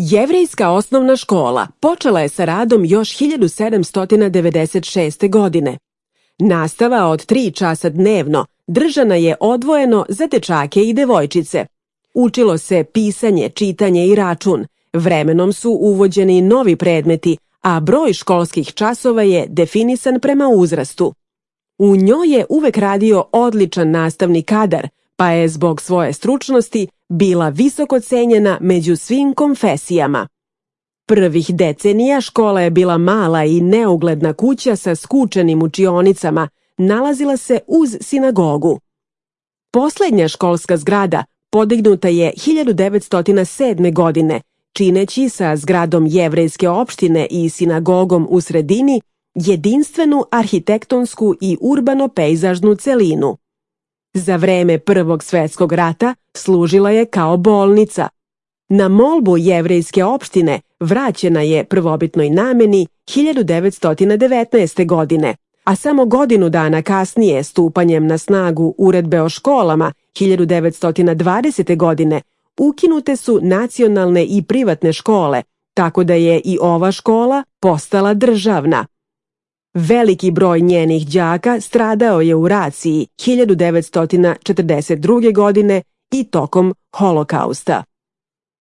Jevrejska osnovna škola počela je sa radom još 1796. godine. Nastava od 3 časa dnevno držana je odvojeno za dečake i devojčice. Učilo se pisanje, čitanje i račun. Vremenom su uvođeni novi predmeti, a broj školskih časova je definisan prema uzrastu. U njoj je uvek radio odličan nastavni kadar, pa je zbog svoje stručnosti bila visoko cenjena među svim konfesijama. Prvih decenija škola je bila mala i neugledna kuća sa skučenim učionicama, nalazila se uz sinagogu. Poslednja školska zgrada podignuta je 1907. godine, čineći sa zgradom jevrejske opštine i sinagogom u sredini jedinstvenu arhitektonsku i urbano-pejzažnu celinu. Za vreme Prvog svetskog rata služila je kao bolnica. Na molbu jevrejske opštine vraćena je prvobitnoj nameni 1919. godine, a samo godinu dana kasnije, stupanjem na snagu Uredbe o školama 1920. godine, ukinute su nacionalne i privatne škole, tako da je i ova škola postala državna. Veliki broj njenih đaka stradao je u raciji 1942. godine i tokom Holokausta.